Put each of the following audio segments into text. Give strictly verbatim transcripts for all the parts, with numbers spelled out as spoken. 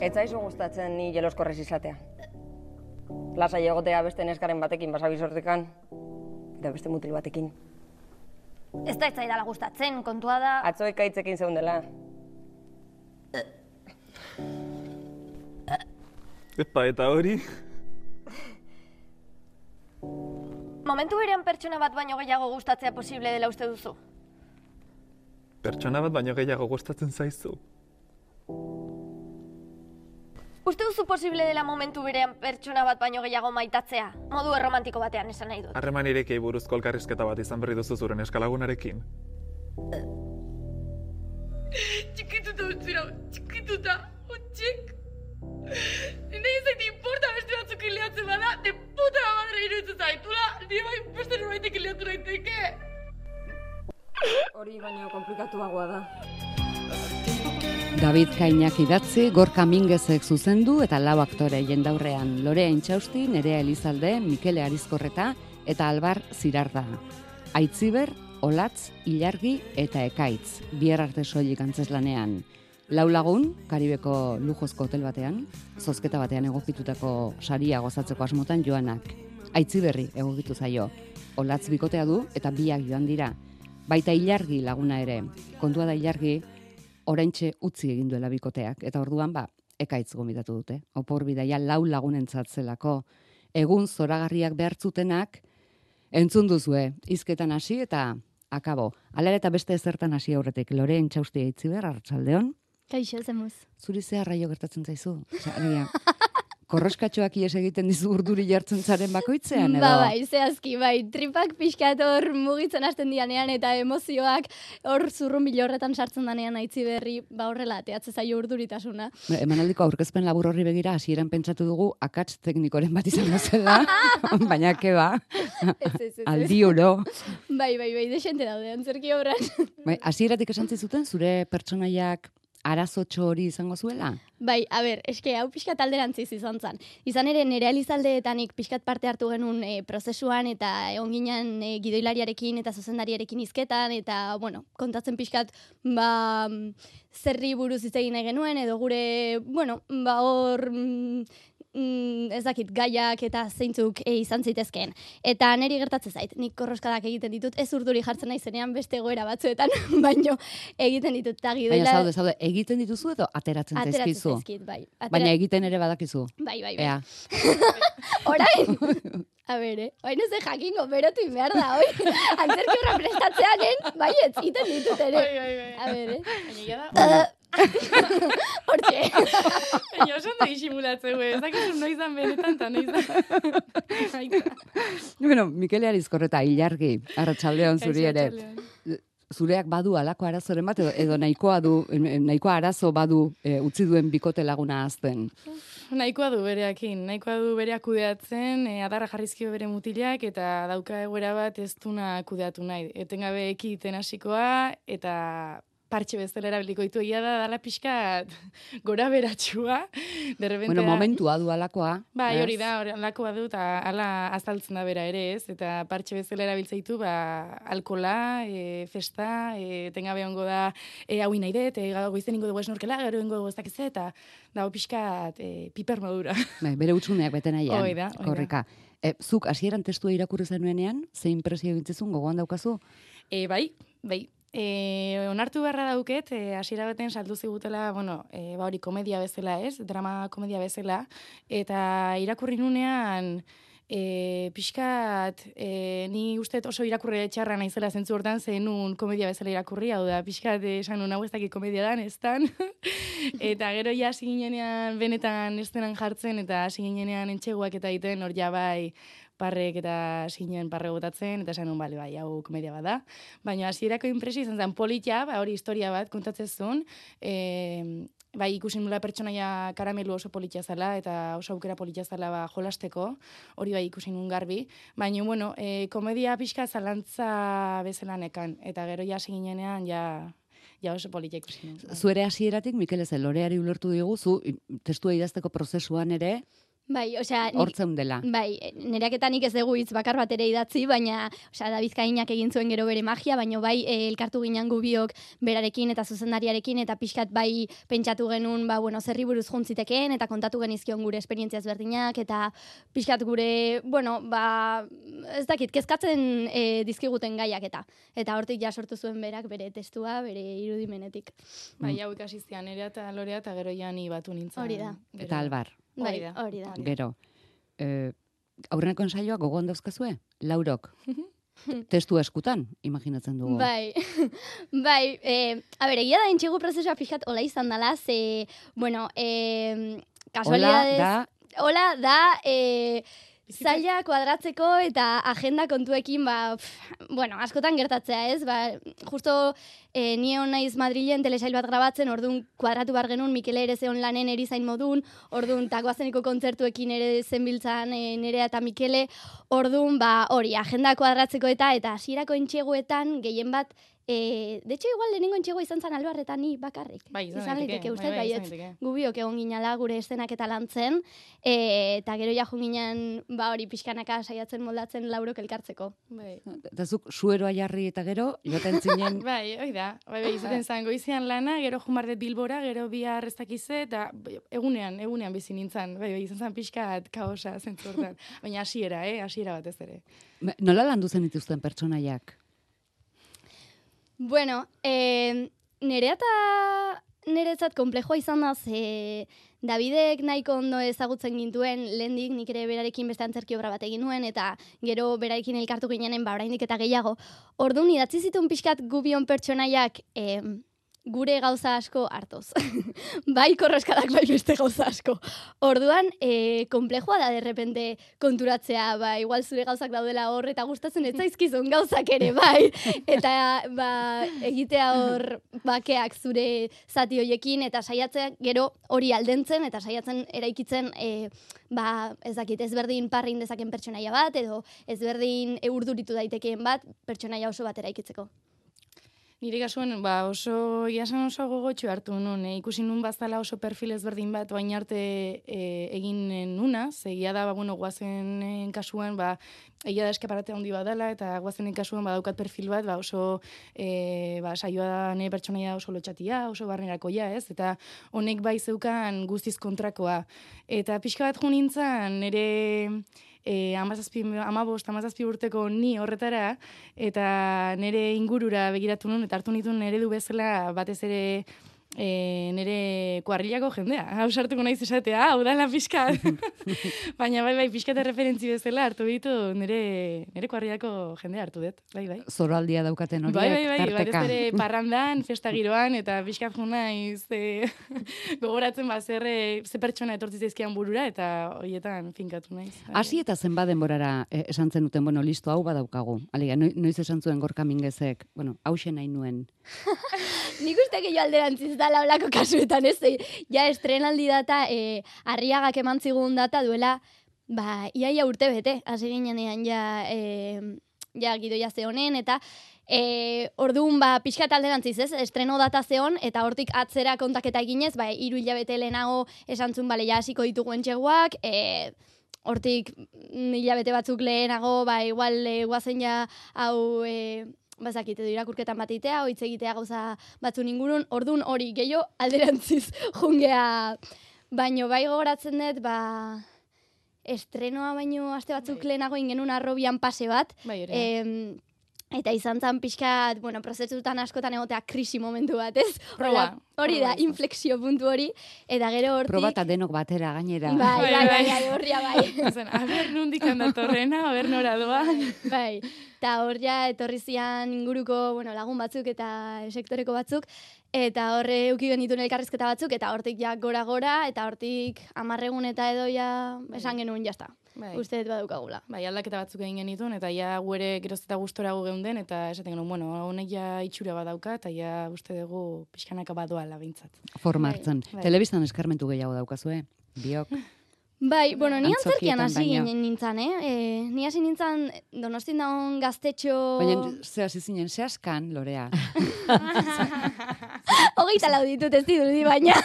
Ez zaizu gustatzen ni jeloskorrez izatea. Lasai egotea beste neskaren batekin basabizortekan, eta beste mutil batekin. Ez da ez zaidala gustatzen, kontua da... Atzo ekaitzekin zeundela. Epa, eta hori? Momentu berean pertsona bat baino gehiago gustatzea posible dela uste duzu? Pertsona bat baino gehiago gustatzen zaizu. Uste duzu posible dela momentu berean pertsona bat baino gehiago maitatzea? Modu erromantiko batean esan nahi dut. Harreman irekei buruzko elkarrizketa bat izan berri duzu zuren eskalagunarekin. Txikituta utzira, txikituta, utxik. Nire izan importa beste batzuk ileatzen bada, de puta madre iruditzen zaitula, nire bai beste norbaitek ileatu daiteke. Hori baino komplikatuagoa da. David Kainak idatzi, Gorka Mingezek zuzendu eta lau aktore jendaurrean. Lorea Intxausti, Nerea Elizalde, Mikele Arizkorreta eta Albar Zirarda. Aitziber, Olatz, Ilargi eta Ekaitz, bihar arte soilik antzeslanean. Lau lagun, Karibeko lujozko hotel batean, zozketa batean egokitutako saria gozatzeko asmotan joanak. Aitziberri egokitu zaio. Olatz bikotea du eta biak joan dira. Baita Ilargi laguna ere. Kontua da Ilargi, oraintxe utzi egin duela bikoteak, eta orduan ba, Ekaitz gomitatu dute. Opor bidaia lau lagunentzat zelako. Egun zoragarriak behartzutenak, entzun duzue, hizketan hasi eta akabo. Hala eta beste ezertan hasi aurretik, Lorea Intxausti Aitziber, arratsaldeon. Kaixo, zemuz. Zuri ze arraio gertatzen zaizu? Osea, korroskatxoak ies egiten dizu urduri jartzen zaren bakoitzean, edo? Ba, bai, zehazki, bai, tripak pixkat hor mugitzen hasten dianean eta emozioak hor zurrunbilo horretan sartzen danean Aitziberri, ba horrela, ateatze zaio urduritasuna. Emanaldiko aurkezpen labur horri begira, hasieran pentsatu dugu akats teknikoren bat izango zela, baina keba, aldi oro. Bai, bai, bai, desente daude, antzerki obran. Bai, hasieratik esan zizuten, zure pertsonaiak arazotxo hori izango zuela? Bai, a ber, eske hau pixkat alderantziz izan zen. Izan ere, Nerea Elizaldeetanik pixkat parte hartu genuen e, prozesuan, eta egon ginen e, gidoilariarekin eta zuzendariarekin hizketan, eta, bueno, kontatzen pixkat, ba, zerri buruz hitz egin nahi genuen, edo gure, bueno, ba, hor... Mm, ez dakit, gaiak eta zeintzuk e, izan zitezkeen. Eta niri gertatzen zait, nik korroskadak egiten ditut, ez urduri jartzen nahi zenean beste egoera batzuetan, baino egiten ditut. Gidoila... Baina zaude, zaude, egiten dituzu edo ateratzen zaizkizu? Ateratzen zaizkit, bai. Atera... Baina egiten ere badakizu? Bai, bai, bai. Ea. Orain? A ber, eh? Oain ez de jakingo, berotu inbehar da, oi? Antzerki horra prestatzeanen, bai, ez iten ditut ere. Bai, bai, bai. A ber, eh? Baina da... Hortxe. Baina oso ondo disimulatzeu, ez dakizu noizan benetan eta noizan. Bueno, Mikele Arizkorreta, Ilargi, arratsaldeon zuri ere. Zureak badu alako arazoren bat, edo, edo nahikoa du, nahikoa arazo badu e, utzi duen bikote laguna azten? Nahikoa du bereakin, nahikoa du bereak kudeatzen, e, adarra jarrizkio bere mutilak, eta dauka egoera bat ez duna kudeatu nahi. Etengabe ekiten hasikoa, eta partxe bezala erabiliko ditu, egia da, dala pixkat gora beratxua. Bueno, momentua du alakoa. Bai, hori da, hori alakoa du, eta ala azaltzen da bera ere, ez? Eta partxe bezala erabiltzeitu, ba, alkola, e, festa, e, tengabe hongo da, e, hau nahi dut, e, goizten ingo dugu esnorkela, gero ingo dugu ez dakiz eta dago pixkat e, piper modura. Bai, bere utsuneak beten aian. Hoi da, hoi da. Korrika. E, zuk hasieran testua irakurri zenuenean, zein presio egintzizun gogoan daukazu? E, bai, bai. E, onartu beharra dauket, e, hasiera baten saldu zigutela, bueno, e, ba hori komedia bezala, ez? Drama komedia bezala, eta irakurri nunean e, pixkat, e, ni uste oso irakurri txarra naizela zentzu hortan, zenun komedia bezala irakurri, hau da, pixkat esan nun hau ez dakit komedia dan, ez dan, eta gero ja hasi ginenean benetan estenan jartzen, eta hasi ginenean entxeguak eta egiten, hor ja bai, parrek eta zinen parre botatzen, eta esan nun, bale, bai, hau komedia bat da. Baina hasierako inpresio izan zen politia, ba, hori historia bat kontatzen zuen, e, bai, ikusi nula pertsonaia karamelu oso politia zala, eta oso aukera politia zala ba, jolasteko, hori bai ikusi nun garbi. Baina, bueno, e, komedia pixka zalantza bezala nekan, eta gero ja ginenean, ja... Ja, oso politia ikusi nun. Zuere hasieratik, Mikel ez, Loreari ulertu digu, zu testua idazteko prozesuan ere, Bai, osea... Hortzeun dela. Bai, nereaketanik ez dugu hitz bakar bat ere idatzi, baina, osea, David Kainak egin zuen gero bere magia, baina bai, e, elkartu ginen gubiok berarekin eta zuzendariarekin, eta pixkat bai pentsatu genuen, ba, bueno, zerri buruz juntzitekeen, eta kontatu genizkion gure esperientziaz berdinak, eta pixkat gure, bueno, ba, ez dakit, kezkatzen e, dizkiguten gaiak eta. Eta hortik ja sortu zuen berak bere testua, bere irudimenetik. Bai, hau ikasi zian, Nerea eta Lorea, eta gero ja ni batu nintzen. Hori da. Gero. Eta Albar. Bai, Hori da. hori da. Gero, eh, aurreneko ensaioa gogoan dauzkazue? Laurok. Testu eskutan, imaginatzen dugu. Bai, bai, eh, a ber, egia da entxegu prozesua pixkat hola izan dela, ze, bueno, eh, kasualidades... Hola da... Hola da, eh, zaila kuadratzeko eta agenda kontuekin, ba, pff, bueno, askotan gertatzea, ez? Ba, justo eh, ni hon naiz Madrilen telesail bat grabatzen, orduan kuadratu bar genuen, Mikele ere zeon lanen erizain modun, orduan tagoazeneko kontzertuekin ere zenbiltzan e, Nerea eta Mikele, orduan, ba, hori, agenda kuadratzeko eta, eta hasierako entxeguetan, gehien bat, E, de hecho, igual lehenengo entxegoa izan zan Albar eta ni bakarrik. Bai, izan izan daiteke, liteke, uste bai, bai, izan baietz. daiteke. Gubiok egon ginala gure eszenak eta lantzen, e, eta gero ja ginen, ba hori, pixkanaka saiatzen moldatzen Laurok elkartzeko. Bai. Eta zuk sueroa jarri eta gero, joten zinen... Bai, hoi da. Bai, bai, izaten zan, goizian lana, gero jumardet Bilbora, gero bihar ez dakize, eta egunean, egunean bizi nintzen. Bai, bai, izan zan pixkat kaosa zentzu hortan. Baina hasiera, eh, hasiera batez ere. Nola landu zen dituzten pertsonaiak? Bueno, eh, nerea eta neretzat komplejoa izan da, ze Davidek nahiko ondo ezagutzen gintuen, lehendik nik ere berarekin beste antzerki obra bat egin nuen, eta gero berarekin elkartu ginenen, ba, oraindik eta gehiago. Orduan, idatzi zituen pixkat gubion pertsonaiak eh, gure gauza asko hartoz. Bai korroskadak, bai beste gauza asko. Orduan, e, komplejoa da derrepente konturatzea, ba, igual zure gauzak daudela hor, eta gustatzen ez zaizkizun gauzak ere, bai. Eta, ba, egitea hor bakeak zure zati hoiekin, eta saiatzea gero hori aldentzen, eta saiatzen eraikitzen, e, ba, ez dakit, ezberdin parrin dezaken pertsonaia bat, edo ezberdin urduritu daitekeen bat, pertsonaia oso bat eraikitzeko. Nire kasuan, ba, oso, iasan oso gogotxo hartu nun, e, ikusi nun bazala oso perfil ezberdin bat, baina arte e, egin nuna, zegia da, ba, bueno, guazenen kasuan, ba, egia da eskaparate handi bat dela, eta guazenen kasuan badaukat perfil bat, ba, oso, e, ba, saioa da nire pertsonaia oso lotxatia, oso barnerakoia, ez? Eta honek bai zeukan guztiz kontrakoa. Eta pixka bat jo nintzen, nire... E, amazazpi, amabost, amazazpi urteko ni horretara, eta nire ingurura begiratu nun, eta hartu nituen nire du bezala batez ere e, nire kuarrilako jendea. Hau sartuko naiz esatea, hau da la pixkat. Baina bai, bai, pixkat referentzi bezala hartu ditu nire, nire kuarrilako jendea hartu dut. Bai, bai. Zoroaldia daukaten horiek, bai, bai, bai, tarteka. batez ere parrandan, festa giroan, eta pixkat jo naiz e, gogoratzen ba, zer, ze pertsona etortzi zaizkian burura, eta horietan finkatu naiz. Hasi eta zenbat denborara eh, esan zenuten, bueno, listo, hau badaukagu. Alega, noiz esan zuen Gorka Mingezek, bueno, hauxe nahi nuen. Nik uste gehiago alderantziz dala olako kasuetan, ez? Ja estrenaldi data, e, Arriagak eman zigun data duela, ba, iaia urte bete, hasi ginean ja, e, ja gidoia zehonen, eta e, orduan, ba, pixkat alderantziz, ez? Estreno data zeon, eta hortik atzera kontaketa eginez, ba, hiru hilabete lehenago esantzun, bale, ja hasiko ditugu entxeguak, e, hortik hilabete batzuk lehenago, ba, igual, e, guazen ja, hau... E, bazakit, edo irakurketan bat itea, oitz egitea gauza batzun ingurun, ordun hori gehiago alderantziz jungea. Baino bai gogoratzen dut, ba, estrenoa baino aste batzuk bai. Lehenago ingenun arrobian pase bat. Bai, ere. Em, eta izan zan pixkat, bueno, prozesutan askotan egotea krisi momentu bat, ez? Proba. Hori da, inflexio puntu hori, eta gero hortik... Proba eta denok batera gainera. Bai, bai, bai, bai, horria bai. Zen, a ber, nundik handatorrena, a ber nora doan. Bai, eta hor ja etorri zian inguruko, bueno, lagun batzuk eta sektoreko batzuk, eta horre euki genituen elkarrizketa batzuk, eta hortik ja gora-gora, eta hortik amarregun eta edo ja esan genuen jazta. Bai. Uste dut badaukagula. Bai, aldaketa batzuk egin genituen, eta ja guere geroz eta gustorago geunden, eta esaten genuen, bueno, honek ja itxura badauka, eta ja uste dugu pixkanaka badoala bintzat. Forma hartzen. Bai. Telebistan eskarmentu gehiago daukazue, biok. Bai, bueno, ni antzerkian Antzokietan hasi baino. ginen nintzen, eh? E, ni hasi nintzen Donostin daun gaztetxo... Baina, ze hasi zinen, ze askan, Lorea. Hogeita lau ditut ez dirudi, baina...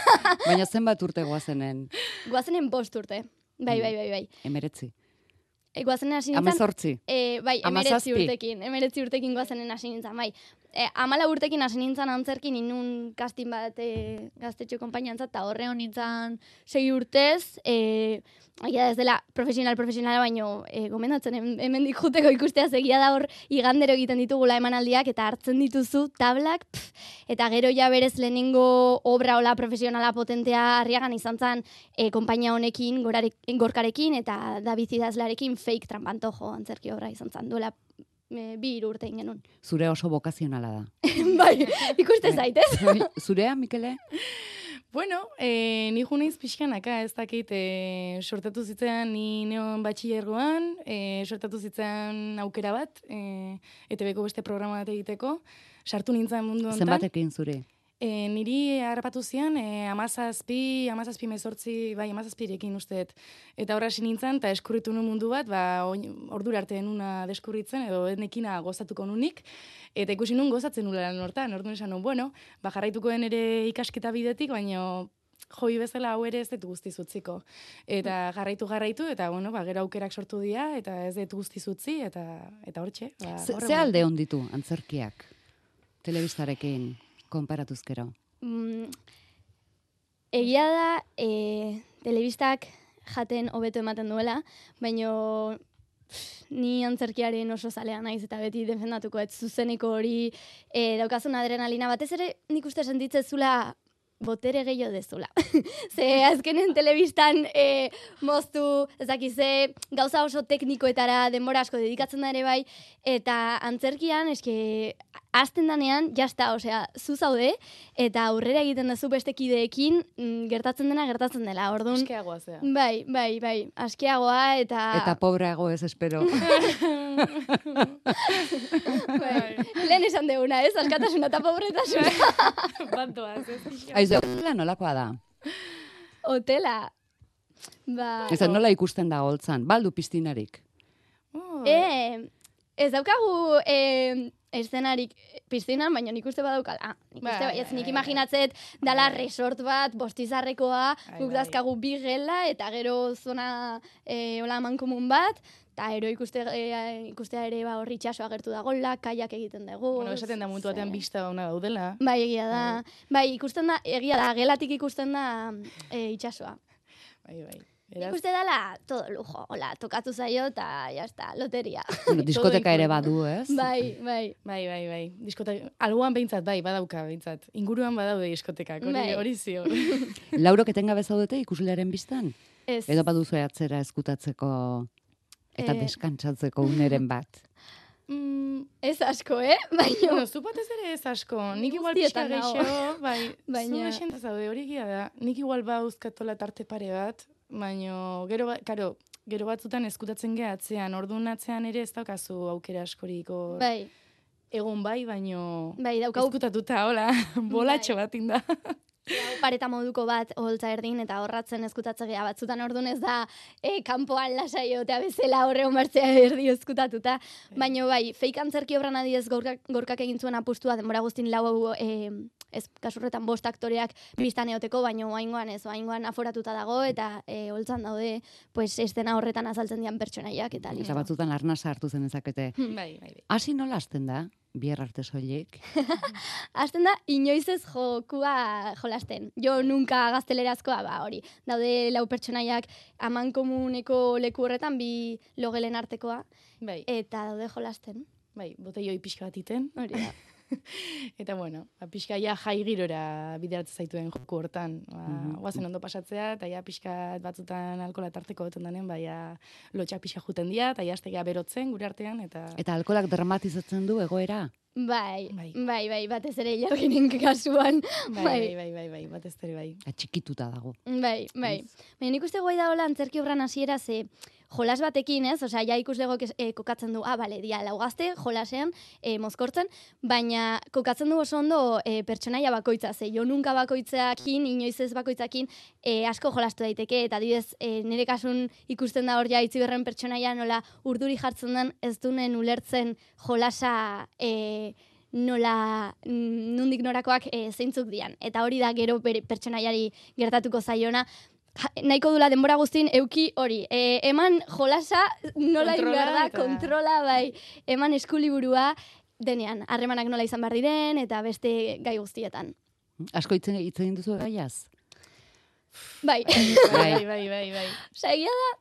Baina zenbat urte goazenen. Goazenen bost urte. Bai, bai, bai, bai. Emeretzi. E, guazen hasi nintzen... Amazortzi. E, bai, emeretzi Amazazpi. urtekin. Emeretzi urtekin guazenen hasi nintzen, bai. E, amala urtekin hasi nintzen antzerkin, inun kastin bat e, gaztetxo konpainiantzat, eta horre nintzen sei urtez, e, egia ez dela profesional, profesionala, baino e, gomendatzen hemendik juteko ikustea egia da hor igandero egiten ditugula emanaldiak, eta hartzen dituzu tablak, pff, eta gero ja berez lehenengo obra ola profesionala potentea Arriagan izan zen e, konpainia honekin, gorarek, gorkarekin, eta David idazlarekin fake trampantojo antzerki obra izan zen, duela e, bi hiru urte genuen. Zure oso bokazionala da. Bai, ikuste zaitez. Zurea, Mikele? Bueno, e, ni ju naiz pixkanaka, ez dakit, e, sortatu zitzen ni neon batxillergoan, e, sortatu zitzen aukera bat, e, E T Bko beste programa bat egiteko, sartu nintzen mundu honetan. Zenbatekin zure? E, niri harrapatu zian, e, amazazpi, amazazpi mezortzi, bai, amazazpirekin usteet. Eta horra hasi nintzen, eta eskurritu nun mundu bat, ba, ordura arte nuna deskurritzen, edo nekina gozatuko nunik, eta ikusi nun gozatzen nula lan hortan, orduan esan nun, bueno, ba, jarraituko den ere ikasketa bidetik, baino jobi bezala hau ere ez dut guztiz utziko. Eta jarraitu jarraitu, eta bueno, ba, gero aukerak sortu dira, eta ez dut guztiz utzi, eta, eta hortxe. Ba, Ze, ze alde onditu antzerkiak, telebistarekin? Konparatuzkero. Mm, egia da, e, telebistak jaten hobeto ematen duela, baino pff, ni antzerkiaren oso zalea naiz eta beti defendatuko ez zuzeneko hori e, daukazun adrenalina. Batez ere nik uste sentitzezula botere gehiago dezula. Ze azkenen telebistan e, moztu, ez dakize, gauza oso teknikoetara denbora asko dedikatzen da ere bai, eta antzerkian, eske, azten danean, jasta, osea, zu zaude, eta aurrera egiten duzu beste kideekin, mm, gertatzen dena gertatzen dela, orduan. Askeagoa zea. Bai, bai, bai, askeagoa, eta... Eta pobreago ez espero. bai, lehen esan deguna, ez? Askatasuna eta pobretasuna. Bantoaz, ez? Aizu, nolakoa da? Hotela. Ba... Ez nola ikusten da holtzan, baldu piztinarik. Oh, E, ez daukagu e, eszenarik piztinan, baina nik uste badaukala. Nik uste, Bai, ez, bai, nik bai. imaginatzet dala resort bat, bostizarrekoa, Bai, guk bai. dazkagu bi gela, eta gero zona e, hola mankomun bat, eta ero ikuste, e, ikustea ere ba, horri itxaso agertu dagoela, kaiak egiten dugu. Bueno, esaten da mundu batean ze- bista ona daudela. Bai, egia da. Bai, ikusten da, egia da, gelatik ikusten da e, itxasoa. Bai, bai. Beraz, Ikuste dala, todo lujo, hola, tokatu zaio, eta jazta, loteria. Bueno, diskoteka ere incluido. badu, ez? Bai, bai. bai, bai, bai. Diskota, alboan behintzat, bai, badauka behintzat. Inguruan badaude diskotekak, hori, Bai. hori zior. Laurok etengabe zaudete ikuslearen biztan? Ez. Edo baduzu atzera eskutatzeko eta Eh. deskantsatzeko uneren bat? mm, Ez asko, eh? Baina, bueno, zu batez ere ez asko. Nik igual Guztietan pixka nago. geixo, bai, Baina- zu geixen zaude, hori egia da. Nik igual bauzkatola tarte pare bat, baino, gero, ba- karo, gero batzutan eskutatzen geha atzean, orduan atzean ere ez daukazu aukera askoriko. bai, Egon bai, baino... bai, daukau Eskutatuta, hola, bolatxo bat inda. pareta moduko bat holtza erdin eta horratzen eskutatzea batzutan ordun ez da e, kanpoan lasai egotea bezala horre onbartzea erdi eskutatuta. Baina bai, fake antzerki obran adiez gorkak, gorkak egin zuen apustua denbora guztin lau e, ez kasurretan bost aktoreak biztan eoteko, baina oaingoan ez, oaingoan aforatuta dago eta e, holtzan daude pues, estena horretan azaltzen dian pertsonaiak eta Eta listo. batzutan arnasa hartu zen ezakete. Hmm. Bai, bai, bai. Hasi nola hasten da, bier arte soilik? Hasten da, inoiz ez jokua jolasten. Jo nunka gaztelerazkoa, ba hori. Daude lau pertsonaiak aman komuneko leku horretan bi logelen artekoa, Bai, eta daude jolasten. bai, botelloi pixka bat iten. Hori da. Eta bueno, ba, pixka ja jai girora bideratzen zaituen joku hortan. Ba, Mhm. Guazen ondo pasatzea, eta ja pixka batzutan alkola tarteko goten danen, ba, ja lotxak pixka juten dira, eta ja aztegia berotzen gure artean, eta... Eta alkolak dramatizatzen du egoera? Bai, Bai. bai, bai, batez ere jarginen kasuan. Bai, bai, bai, bai, bai, batez ere bai. Atxikituta dago. Bai, bai. Baina nik uste guai da hola antzerki obran hasiera ze jolas batekin, ez? Osea, ja ikuslego e, kokatzen du, ah, bale, dia lau gazte jolasean e, mozkortzen, baina kokatzen du oso ondo e, pertsonaia bakoitza, ze jo nunka bakoitzakin, inoiz ez bakoitzakin e, asko jolastu daiteke, eta adibidez, e, nire kasun ikusten da hor ja itziberren pertsonaia nola urduri jartzen den ez dunen ulertzen jolasa e, nola mm, nundik norakoak e, zeintzuk dian. Eta hori da gero bere pertsonaiari gertatuko zaiona, ja, nahiko dula denbora guztin euki hori. E, eman jolasa nola egin behar da, eta- kontrola, bai, eman eskuliburua, denean, harremanak nola izan behar diren, eta beste gai guztietan. Asko hitz hitz egin duzu gaiaz? Bai, Bai, bai, bai, bai. osea, egia da,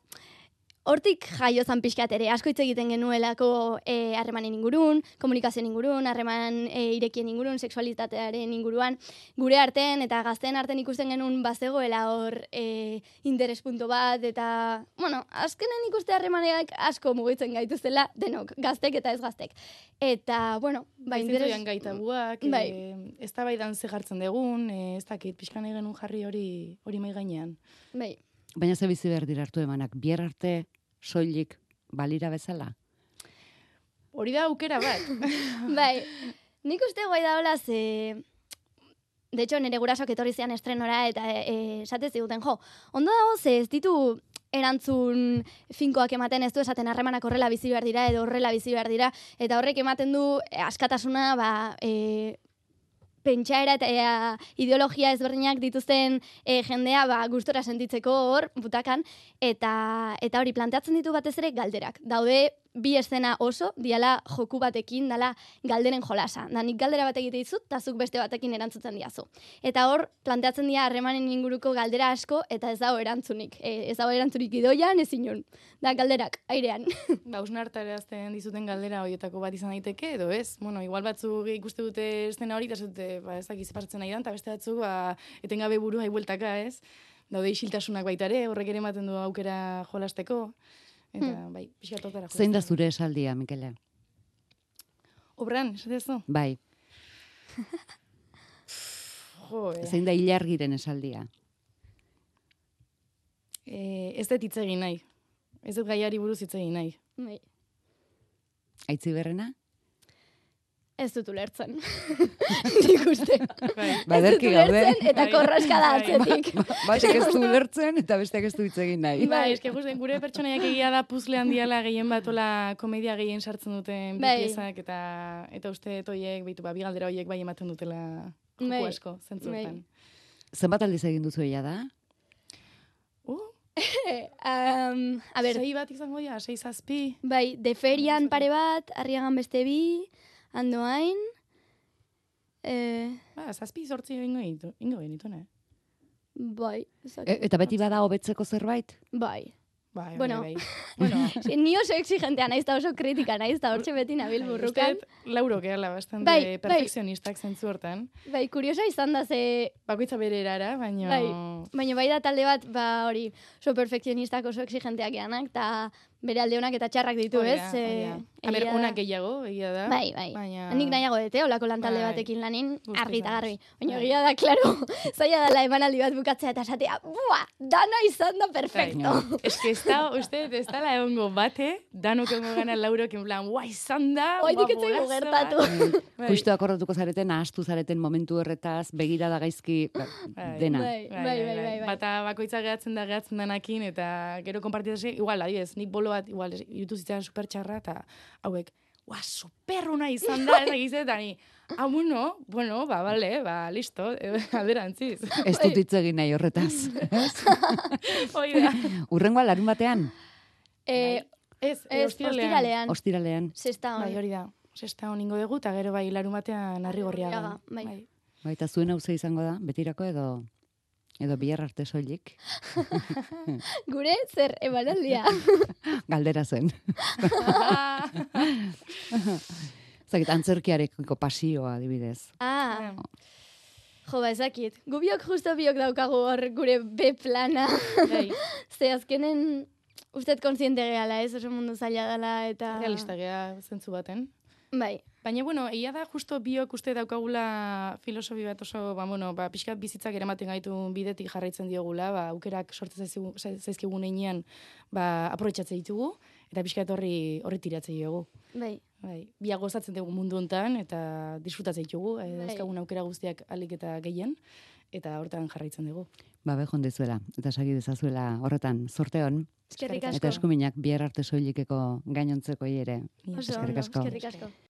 hortik jaio zan pixkat ere, asko hitz egiten genuelako eh, harremanen ingurun, komunikazioen ingurun, harreman eh, irekien ingurun, sexualitatearen inguruan, gure artean eta gazteen artean ikusten genuen bazegoela hor eh, interespunto bat, eta, bueno, azkenen ikuste harremaneak asko mugitzen gaituztela, denok, gaztek eta ez gaztek. Eta, bueno, ba, interes... Zintzoian gaitabuak, Bai. e, ez da baidan ze jartzen dugun, e, ez dakit, pixkan egin jarri hori hori mai gainean. Bai, Baina ze bizi behar dira hartu emanak, bier arte soilik balira bezala? Hori da aukera bat. bai, nik uste guai da hola ze... De hecho, nire gurasoak etorri zian estrenora eta e, esate ziguten, jo, ondo dago ze ez ditu erantzun finkoak ematen, ez du esaten harremanak horrela bizi behar dira edo horrela bizi behar dira, eta horrek ematen du e, askatasuna, ba, e, pentsaera eta e, ideologia ezberdinak dituzten e, jendea ba, gustora sentitzeko hor, butakan, eta, eta hori planteatzen ditu batez ere galderak. Daude bi eszena oso, diala joku batekin, dala galderen jolasa. Da nik galdera bat egite dizut, eta zuk beste batekin erantzuten diazu. Eta hor, planteatzen dira harremanen inguruko galdera asko, eta ez dago erantzunik. E, ez dago erantzunik idoian, ez inon. Da galderak, airean. Ba, usnartarazten dizuten galdera horietako bat izan daiteke, edo ez? Bueno, igual batzuk ikuste dute estena hori, eta zute, ba, ez dakiz partzen nahi dan, eta beste batzuk, ba, etengabe buru haibueltaka, ez? Daude isiltasunak baita ere, horrek ere ematen du aukera jolasteko. Eta, hmm. bai, pixka tokara jolasteko. Zein da zure esaldia, Mikele? Obran, esatezu? Bai, Jo, eh. zein da ilargiren esaldia? Eh, ez dut hitz egin nahi. Ez dut gaiari buruz hitz egin nahi. Bai. Aitziberrena? Ez dut ulertzen. Nik uste. Bai. Ba, Ez dut ederki gaude. ulertzen eta Bai. korraska da Bai. atzetik. Batek ez du ulertzen eta besteak ez du hitz egin nahi. Bai, eske gusten gure pertsonaiak egia da puzle handiala gehien bat ola komedia gehien sartzen duten bi Bai. piezak eta eta uste toiek beitu ba bi galdera hoiek bai ematen dutela joku Bai. asko zentzu Bai. hortan. Zenbat aldiz egin duzu eia da? Uh, um, a ber, sei bat izango dira, sei zazpi. bai, deferian pare bat, arriagan beste bi, andoain, eh, Ba, zazpi zortzi ingo genitu, ingo genitu, ne? bai, ezak- E, eta beti bada hobetzeko zerbait? bai. Bai, Bueno. bai, bai. Bueno, Si, ni oso exigentea naiz eta oso kritika naiz, eta hortxe beti nabil burrukan. uste dut Lauro gehala bastante Bai, bai. perfekzionistak zentzu hortan. Bai, kuriosa izan da ze, Bakoitza bere erara, baina... bai, baina bai da talde bat, ba hori, oso perfekzionistak oso exigenteak geanak, eta bere alde onak eta txarrak ditu, Hori ez? da, Eh, hori da. A ber, egia da. onak gehiago, egia da. Bai, bai. Baina... Nik nahiago dute, olako lantalde Bai. batekin lanin, Guztiz argi eta ados. garbi. Baina Bai. egia da, klaro, zaila dela emanaldi bat bukatzea eta esatea, bua, dana izan da perfecto. Bai. Es que ez da, uste, ez da la egongo bate, danok egongo gana laurok, en plan, guai, izan da, Oidik ez zaigu golazo bat." gertatu. Bai. Justu akordatuko zareten, ahastu zareten momentu horretaz, begirada gaizki, ba, Bai. dena. Bai, bai, bai, bai, bai. Bata bakoitza gehatzen da gehatzen danakin, eta gero konpartitzen, igual, adibidez, nik bolo bat, igual, irutu zitzaren super txarra, eta hauek, ua, superruna izan da, ez dakiz, eta ni, ah, bueno, bueno, ba, bale, ba, listo, alderantziz. Ez dut hitz egin nahi horretaz. Hoi da. Urrengoa larun batean, Eh, Ez, ez, ostiralean. ostiralean. Zesta Bai, hon. hori da. Sesta honingo dugu, eta gero bai larumatean harri gorriaga. Arrigorriaga, bai. Baita zuen hauze izango da, betirako edo edo bihar arte soilik. Gure zer emanaldia. Galdera zen. Zagit, antzerkiarekiko pasioa, adibidez. Ah, jo, ba, ezakit. Gu biok justo biok daukagu hor gure B plana. Bai, Ze azkenen, usted kontziente gehala, ez? Oso mundu zaila dela eta... realista gea zentzu baten. Bai, Baina, bueno, egia da justo biok uste daukagula filosofi bat oso, ba, bueno, ba, pixkat bizitzak eramaten gaitu bidetik jarraitzen diogula, ba, aukerak sortzen zaizkigu- zaizkigun einean, ba, aprobetxatzen ditugu, eta pixkat horri, horri tiratzen diogu. bai. Bai, biak gozatzen dugu mundu hontan eta disfrutatzen ditugu, e, Bai. dauzkagun aukera guztiak alik eta gehien, eta hortan jarraitzen dugu. Ba, behon dezuela, eta sagi dezazuela horretan, zorte hon, Eskerrik eta asko. eskuminak bihar arte soilikeko gainontzeko ere. Mila Oso eskerrik ondo, asko. eskerrik asko.